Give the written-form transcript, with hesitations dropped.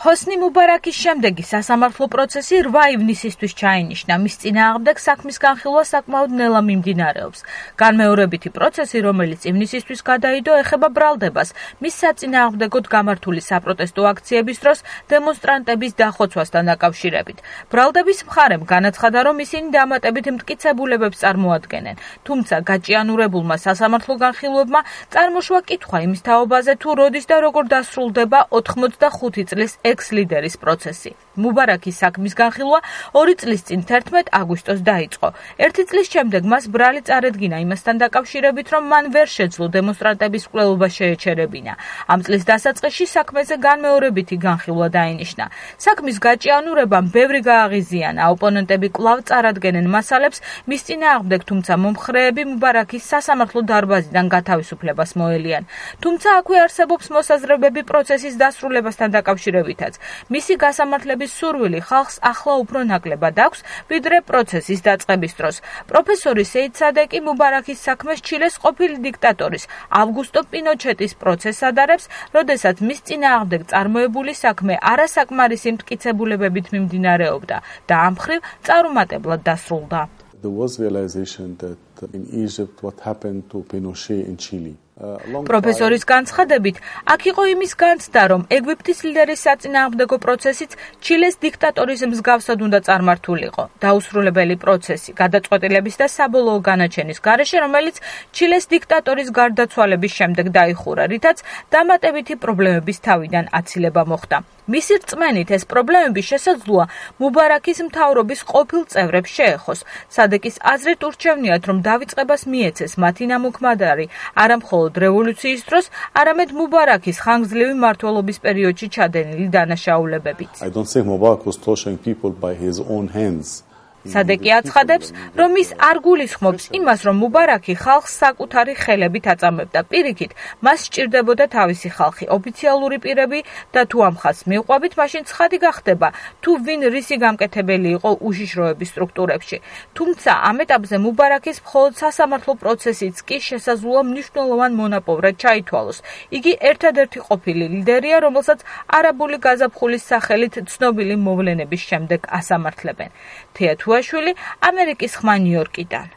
ჰოსნი მუბარაკის შემდეგი სასამართლო პროცესი 8 ივნისისთვის ჩაინიშნა. მის წინააღმდეგ საქმის განხილვა საკმაოდ ნელა მიმდინარეობს. განმეორებითი პროცესი, რომელიც ივნისისთვის გადაიდო, ეხება ბრალდებას მის საწინააღმდეგოდ გამართული საპროტესტო აქციების დროს დემონსტრანტების დახოცვასთან დაკავშირებით. ბრალდების მხარემ განაცხადა, რომ ისინი დამატებით მტკიცებულებებს წარმოადგენენ. თუმცა გაჭიანურებულმა სასამართლო განხილვებმა წარმოშვა კითხვა იმის თაობაზე, თუ როდის და როგორ დასრულდება 85 წლის ექს-ლიდერის პროცესი. მუბარაკის საქმის განხილვა 2 წლის წინ 11 აგვისტოს დაიწყო. 1 წლის შემდეგ მას ბრალი წარედგინა იმასთან დაკავშირებით, რომ მან ვერ შეძლო დემონსტრანტების მკვლელობა შეეჩერებინა. ამ წლის დასაწყისში საქმეზე განმეორებითი განხილვა დაინიშნა. საქმის გაჭიანურებამ ბევრი გააღიზიანა. ოპონენტები კვლავ წარადგენენ მასალებს მის წინააღმდეგ, თუმცა მომხრეები მუბარაკის სასამართლო დარბაზიდან გათავისუფლებას მოელიან. თუმცა აქვე არსებობს მოსაზრებები პროცესის დასრულებასთან დაკავშირებითაც. მისი გასამართლების სურვილი ხალხს ახლა უფრო ნაკლებად აქვს, ვიდრე პროცესის დაწყების დროს. პროფესორი სეიდ სადეკი მუბარაკის საქმეს ჩილეს ყოფილი დიქტატორის ავგუსტო პინოჩეტის პროცესს ადარებს, როდესაც მის წინააღმდეგ წარმოებული საქმე არასაკმარისი მტკიცებულებებით მიმდინარეობდა და ამ მხრივ წარუმატებლად დასრულდა. There was realization that in Egypt what happened to Pinochet in Chile. პროფესორის განცხადებით, აქ იყო იმის განცდა, რომ ეგვიპტის ლიდერის საწინააღმდეგო პროცესიც ჩილეს დიქტატორის მსგავსად უნდა წარმართულიყო. დაუსრულებელი პროცესი, გადაწყვეტილების და საბოლოო განაჩენის გარეშე, რომელიც ჩილეს დიქტატორის გარდაცვალების შემდეგ დაიხურა, რითაც დამატებითი პრობლემების თავიდან აცილება მოხდა. მისი რწმენით ეს პრობლემები შესაძლოა მუბარაკის მთავრობის ყოფილ წევრებს შეეხოს. სადეკის აზრით ურჩევნიათ, რომ დავიწყებას მიეცეს მათი ნამოქმედარი არა მხოლოდ რევოლუციის დროს, არამედ მუბარაკის ხანგრძლივი მმართველობის პერიოდში ჩადენილი დანაშაულებებით. I don't think Mubarak was torturing people by his own hands. სადეკი აცხადებს, რომ ის არ გულისხმობს იმას, რომ მუბარაკი ხალხს საკუთარი ხელებით აწამებდა. პირიქით, მას სჭირდებოდა თავისი ხალხი, ოფიციალური პირები და თუ ამ ხაზს მივყვებით, მაშინ ცხადი გახდება, თუ ვინ რისი გამკეთებელი იყო უშიშროების სტრუქტურებში. თუმცა ამ ეტაპზე მუბარაკის მხოლოდ სასამართლო პროცესიც კი შესაძლოა მნიშვნელოვან მონაპოვრად ჩაითვალოს. იგი ერთადერთი ყოფილი ლიდერია, რომელსაც არაბული გაზაფხულის სახელით ცნობილი მოვლენების შემდეგ ასამართლებენ. თეათუაშვილი, ამერიკის ხმა ნიუ-იორკიდან.